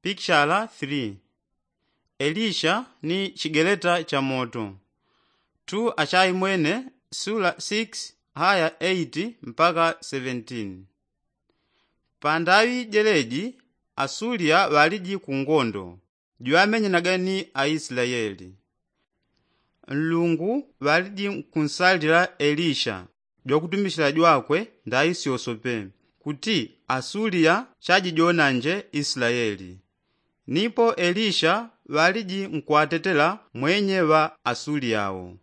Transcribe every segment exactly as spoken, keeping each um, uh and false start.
Pikshala three. Elisha ni chigeleta cha moto. Tu achaimwene sula six haya eight mpaka seventeen. Pandaŵi jeleji asuliya ŵaliji ku ngondo jwamenyanaga ni aislaeli. Nlungu ŵaliji nkunsalila elisha jwakutumishila jwakwe ndaisyosope kuti asuliya chajijonanje islaeli. Nipo elisha ŵaliji nkwatetela mwenye ŵa asuliya wo.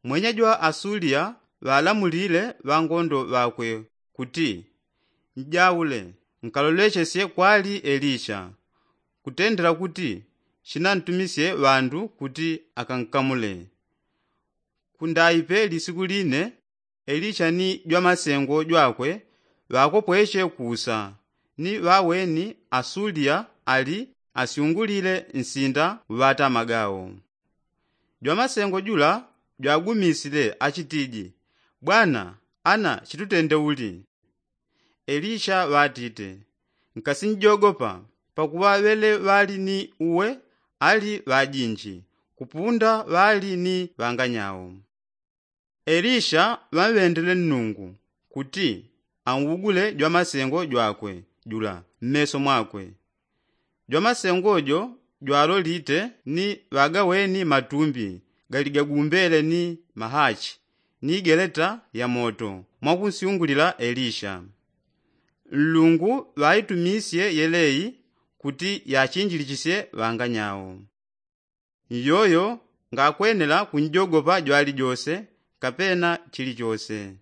Mwenye jwa asuliya ŵalamulile ŵangondo ŵakwe kuti, njaule nkalolechesye kwali elisha kutendela kuti shinantumisye ŵandu kuti akankamule. Kundaipe lisiku line elisha ni jwamasengo jwakwe ŵakopweche kusa ni ŵaweni asuliya ali asyungulile nsinda uŵatamaga wo. Jwamasengo jula jwagumisile achitiji, bwana, ana chitutende uli? Elisha ŵatite, nkasinjogopa pakuŵa ŵele ŵali ni uwe ali ŵajinji kupunda ŵali ni ŵanganyao. Elisha ŵamŵendele nnungu kuti anwugule jwamasengo jwakwe jula mmeso mwakwe. Jwamasengo jo jwalolite ni ŵagaweni matumbi galigagumbele ni mahachi ni igeleta ya moto mwakunsyungulila elisha. Nlungu ŵaitumisye yelei kuti yachinjilichisye ŵanganyao. Nyoyo ngakwenela kunjogopa jwalijose kapena chilichose.